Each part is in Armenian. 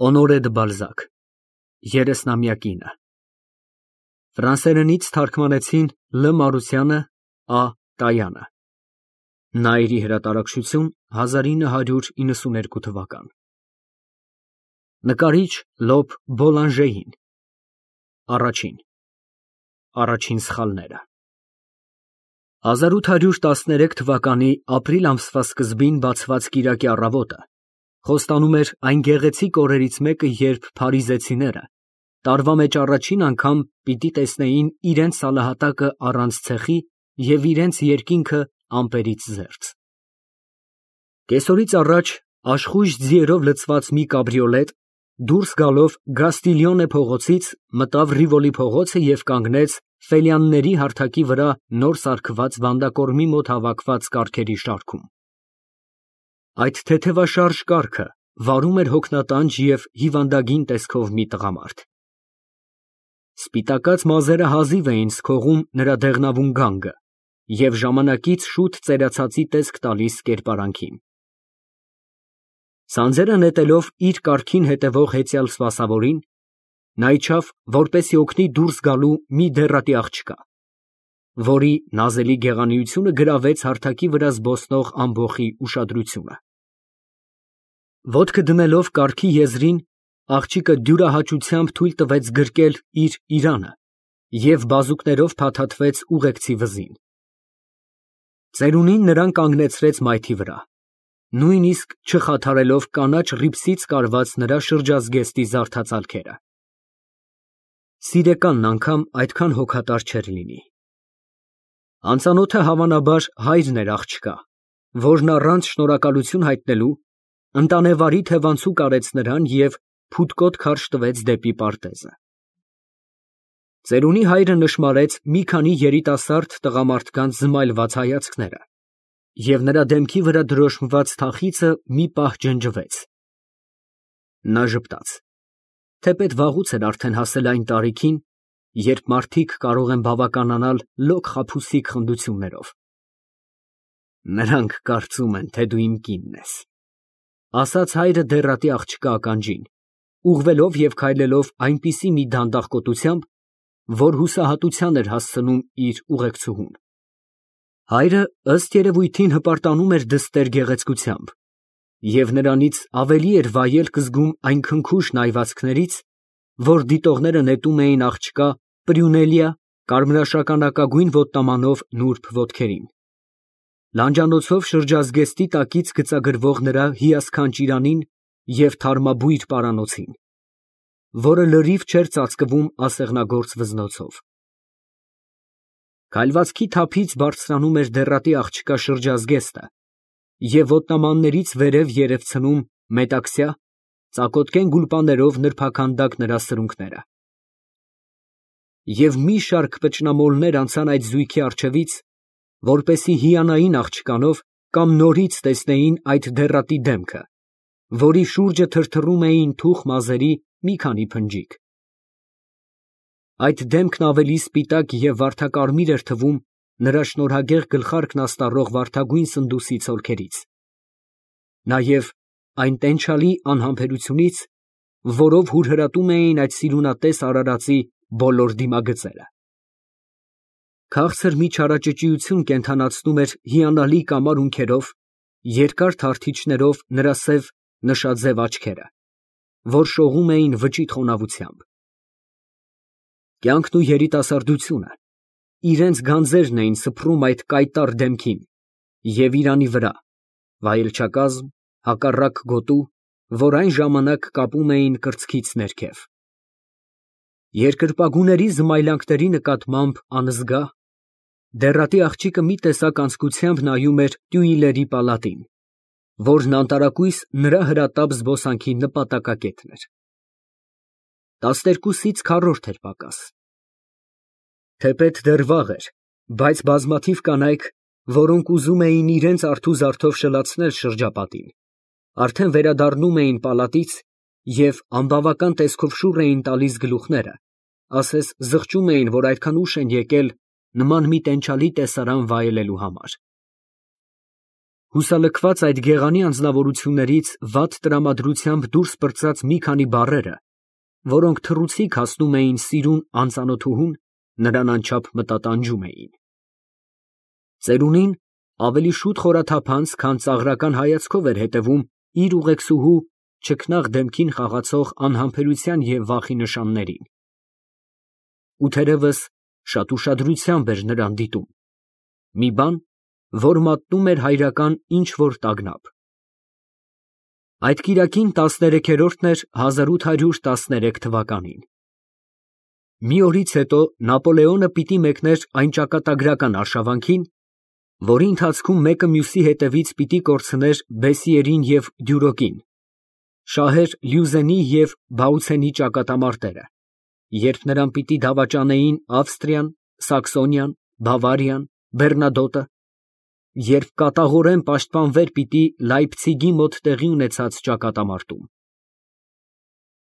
Հոնորե դը Բալզակ, 30-ամյա կինը։ Ֆրանսերենից թարգմանեցին Լ. Մարությանը, Ա. Տայանը։ Նայիրի հրատարակչություն 1992 թվական։ Նկարիչ Լոբ Բոլանժեին։ Առաջին սխալները։ 1813 թվականի ապրիլ ամսվա սկզբին բացված կիրակի առավոտը խոստանում էր այն գեղեցիկ օրերից մեկը, երբ փարիզեցիները տարվա մեջ առաջին անգամ պիտի տեսնեին իրենց սալահատակը առանց ցեխի և իրենց երկինքը ամպերից զերծ։ Կեսօրից առաջ աշխույժ ձիերով լցված մի կաբրիոլետ դուրս գալով Գաստիլյոնե փողոցից մտավ Ռիվոլի փողոցը և կանգնեց Ֆելյանների հարթակի վրա նոր սարքված վանդակորմի մոտ հավաքված կառքերի շարքում։ Այդ թեթևաշարժ կառքը վարում էր հոգնատանջ և հիվանդագին տեսքով մի տղամարդ։ Սպիտակած մազերը հազիվ էին սքողում նրա դեղնավուն գանգը և ժամանակից շուտ ծերացածի տեսք տալիս կերպարանքին։ Սանձերը նետելով իր կառքին հետևող հեծյալ սպասավորին, նա իջավ, որպեսզի օգնի դուրս գալու մի դեռատի աղջկա, որի նազելի գեղանիությունը գրավեց հարթակի վրա զբոսնող ամբոխի ուշադրությունը։ Ոտքը դնելով կառքի եզրին, աղջիկը դյուրահաճությամբ թույլ տվեց գրկել իր իրանը և բազուկներով փաթաթվեց ուղեկցի վզին։ Ծերունին նրան կանգնեցրեց մայթի վրա, նույնիսկ չխաթարելով կանաչ ռիփսից կարված նրա շրջազգեստի զարդացալքերը։ Սիրեկանն անգամ այդքան հոգատար չէր լինի։ Անծանոթը հավանաբար հայրն էր աղջկա, որն առանց շնորհակալություն հայտնելու ընտանեվարի թևանցուկ արեց նրան և փութկոտ քարշ տվեց դեպի պարտեզը։ Ծերունի հայրը նշմարեց մի քանի երիտասարդ տղամարդկանց զմայլված հայացքները, և նրա դեմքի վրա դրոշմված թախիծը մի պահ ջնջվեց։ Նա ժպտաց, թեպետ վաղուց էր արդեն հասել այն տարիքին, երբ մարդիկ կարող են բավականանալ լոկ խաբուսիկ խնդություններով։ Նրանք կարծում են, թե դու իմ կինն ես, ասաց հայրը դեռատի աղջկա ականջին, ուղղվելով և քայլելով այնպիսի մի դանդաղկոտությամբ, որ հուսահատության էր հասցնում իր ուղեկցուհուն։ Հայրը ըստ երևույթին հպարտանում էր դստեր գեղեցկությամբ և նրանից ավելի էր վայելք զգում այն քնքուշ նայվածքներից, որ դիտողները նետում էին աղջկա պրյունելիա կարմրաշագանակագույն ոտնամանով նուրբ ոտքերին, լանջանոցով շրջազգեստի տակից գծագրվող նրա հիասքանչ իրանին և թարմաբույր պարանոցին, որը լրիվ չէր ծածկվում ասեղնագործ վզնոցով։ Քայլվածքի թափից բարձրանում էր դեռատի աղջկա շրջազգեստը և ոտնամաններից վերև երևցնում մետաքսյա, ծակոտկեն գուլպաներով նրբաքանդակ նրա սրունքները։ Եվ մի շարք պճնամոլներ անցան այդ զույգի առջևից, որպեսզի հիանային աղջկանով կամ նորից տեսնեին այդ դեռատի դեմքը, որի շուրջը թրթռում էին թուխ մազերի մի քանի փնջիկ։ Այդ դեմքն ավելի սպիտակ և վարդակարմիր էր թվում նրա շնորհագեղ գլխարկն աստառող վարդագույն սնդուսի ցոլքերից, նաև այն տենչալի անհամբերությունից, որով հուրհրատում էին այդ սիրունատես արարածի բոլոր դիմագծերը։ Քաղցր մի չարաճճիություն կենդանացնում էր հիանալի կամար ունքերով, երկար թարթիչներով նրա սև նշաձև աչքերը, որ շողում էին վճիտ խոնավությամբ։ Կյանքն ու երիտասարդությունը իրենց գանձերն էին սփռում այդ կայտառ դեմքին և իրանի վրա, վայելչակազմ, հակառակ գոտու, որ այն ժամանակ կապում էին կրծքից ներքև։ Երկրպագուների զմայլանքների նկատմամբ անզգա, դեռատի աղջիկը մի տեսակ անձկությամբ նայում էր Տյուիլերի պալատին, որն անտարակույս նրա հրատապ զբոսանքի նպատակակետն էր։ 12-ից քառորդ էր պակաս։ Թեպետ դեռ վաղ էր, բայց բազմաթիվ կանայք, որոնք ուզում էին իրենց արթուզարդով շլացնել շրջապատին, արդեն վերադառնում էին պալատից և անբավական տեսքով շուռ էին տալիս գլուխները, ասես զղջում էին, որ այդքան ուշ են եկել նման մի տենչալի տեսարան վայելելու համար։ Հուսալքված այդ գեղանի անձնավորություններից վատ տրամադրությամբ դուրս պրծած մի քանի բառերը, որոնք թռուցիկ հասնում էին սիրուն անծանոթուհուն, նրան անչափ մտատանջում էին։ Ծերունին ավելի շուտ խորաթափանց, քան ծաղրական հայացքով էր հետևում իր ուղեկցուհու չքնաղ դեմքին խաղացող անհամբերության և վախի նշաններին։ Ու թերևս շատ ուշադրությամբ էր նրան դիտում, մի բան, որ մատնում էր հայրական ինչ֊որ տագնապ։ Այդ կիրակին 13-րդն էր 1813 թվականին։ Մի օրից հետո Նապոլեոնը պիտի մեկներ այն ճակատագրական արշավանքին, որի ընթացքում մեկը մյուսի հետևից պիտի կորցներ Բեսիերին և Դյուրոկին, շահեր Լյուզենի և Բաուցենի ճակատամարտերը, երբ նրան պիտի դավաճանեին Ավստրիան, Սաքսոնիան, Բավարիան, Բեռնադոտը, երբ կատաղորեն պաշտպանվեր պիտի Լայպցիգի մոտ տեղի ունեցած ճակատամարտում։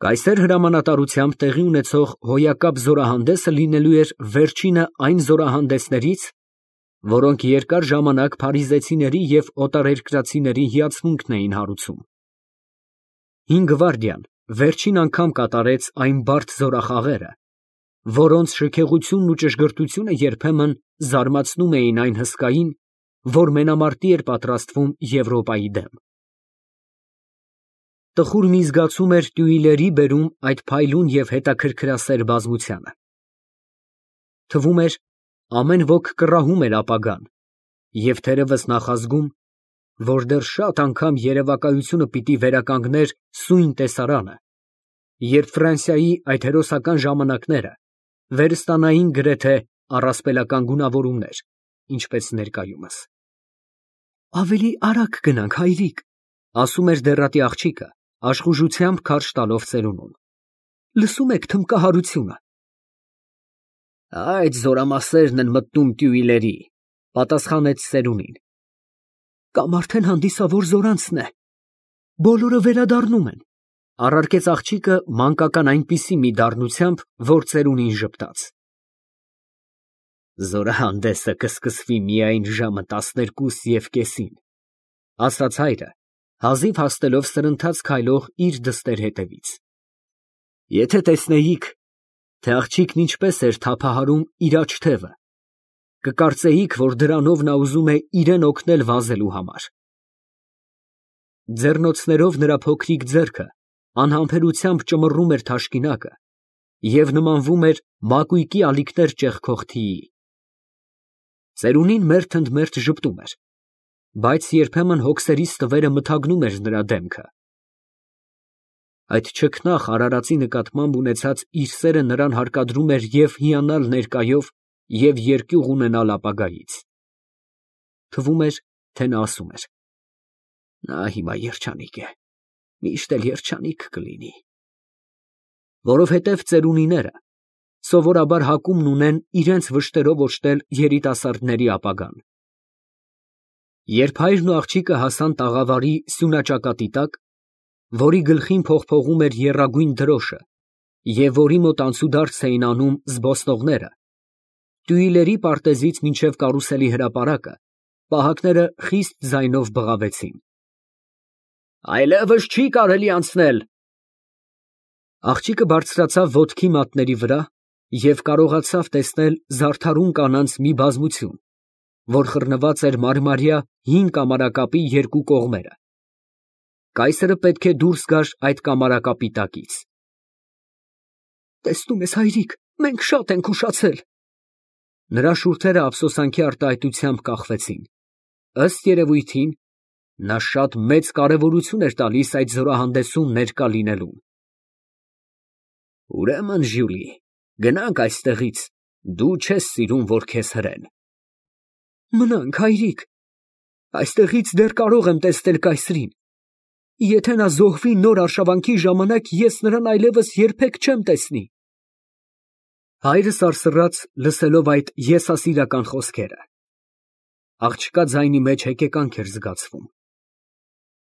Կայսեր հրամանատարությամբ տեղի ունեցող հոյակապ զորահանդեսը լինելու էր վերջինը այն զորահանդեսներից, որոնք երկար ժամանակ փարիզեցիների և օտարերկրացիների հիացմունքն էին հարուցում։ Հին գվարդիան վերջին անգամ կատարեց այն բարդ զորախաղերը, որոնց շքեղությունն ու ճշգրտությունը երբեմն զարմացնում էին այն հսկային, որ մենամարտի էր պատրաստվում Եվրոպայի դեմ։ Տխուր մի զգացում էր Տյուիլերի բերում այդ փայլուն և հետաքրքրասեր բազմությանը։ Թվում էր, ամեն ոք կռահում էր ապագան, և թերևս նախազգում, որ դեռ շատ անգամ երևակայությունը պիտի վերականգներ սույն տեսարանը, երբ Ֆրանսիայի այդ հերոսական ժամանակները վերստանային գրեթե առասպելական գունավորումներ, ինչպես ներկայումս։ «Ավելի արագ գնանք, հայրիկ», ասում էր դեռատի աղջիկը, աշխուժությամբ քարշ տալով ծերունուն։ «Լսում եք թմբկահարությունը»։ Այդ զորամասերն են մտնում Տյուիլերի, պատասխանեց ծերունին։ Կամ արդեն հանդիսավոր զորանցն է։ Բոլորը վերադառնում են, առարկեց աղջիկը մանկական այնպիսի մի դառնությամբ, որ ծերունին ժպտաց։ Զորահանդեսը կսկսվի միայն ժամը 12:30, ասաց հայրը, հազիվ հասնելով սրընթաց քայլող իր դստեր հետևից։ Եթե տեսնեիք, թե աղջիկն ինչպես էր թափահարում իր աջ թևը, կկարծեիք, որ դրանով նա ուզում է իրեն օգնել վազելու համար։ Ձեռնոցներով նրա փոքրիկ ձեռքը անհամբերությամբ ճմռում էր թաշկինակը և նմանվում էր մակույկի ալիքներ ճեղքող թիի։ Ծերունին մերթընդմերթ ժպտում էր, բայց երբեմն հոգսերի ստվերը մթագնում էր նրա դեմքը։ Այդ չքնաղ արարածի նկատմամբ ունեցած իր սերը նրան հարկադրում էր և հիանալ ներկայով, և երկյուղ ունենալ ապագայից։ Թվում էր, թե նա ասում էր. նա հիմա երջանիկ է, միշտ էլ երջանիկ կլինի։ Որովհետև ծերունիները սովորաբար հակումն ունեն իրենց վշտերով օժտել երիտասարդների ապագան։ Երբ հայրն ու աղջիկը հասան տաղավարի սյունաճակատի տակ, որի գլխին փողփողում էր եռագույն դրոշը և որի մոտ անցուդարձ էին անում զբոսնողները, Տյուիլերի պարտեզից մինչև կարուսելի հրապարակը պահակները խիստ ձայնով բղավեցին։ Այլևս չի կարելի անցնել։ Աղջիկը բարձրացավ ոտքի մատների վրա և կարողացավ տեսնել զարդարուն կանանց մի բազմություն, որ խռնված էր մարմարյա հին կամարակապի երկու կողմերը։ Կայսրը պետք է դուրս գար այդ կամարակապի տակից։ Տեսնում ես, հայրիկ, մենք շատ ենք ուշացել։ Նրա շուրթերը ափսոսանքի արտահայտությամբ կախվեցին։ Ըստ երևույթին, նա շատ մեծ կարևորություն էր տալիս այդ զորահանդեսում ներկա լինելուն։ Ուրեմն, Ժյուլի, գնանք այստեղից, դու չես սիրում, որ քեզ հրեն։ Մնանք, հայրիկ, այստեղից դեռ կարող եմ տեսնել կայսրին։ Եթե նա զոհվի նոր արշավանքի ժամանակ, ես նրան այլևս երբեք չեմ տեսնի։ Հայրը սարսռաց, լսելով այդ եսասիրական խոսքերը։ Աղջկա ձայնի մեջ հեկեկանք էր զգացվում։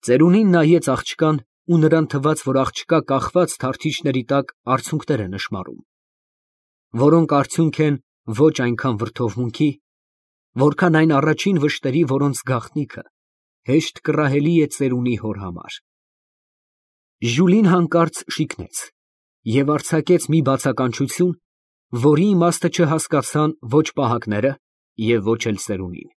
Ծերունին նայեց աղջկան ու նրան թվաց, որ աղջկա կախված թարթիչների տակ արցունքներ է նշմարում, որոնք արդյունք են ոչ այնքան վրդովմունքի, որքան այն առաջին վշտերի, որոնց գաղտնիքը հեշտ կռահելի է ծերունի հոր համար։ Ժուլին հանկարծ շիկնեց և արձակեց մի բացականչություն, որի իմաստը չհասկացան ոչ պահակները և ոչ էլ ծերունին։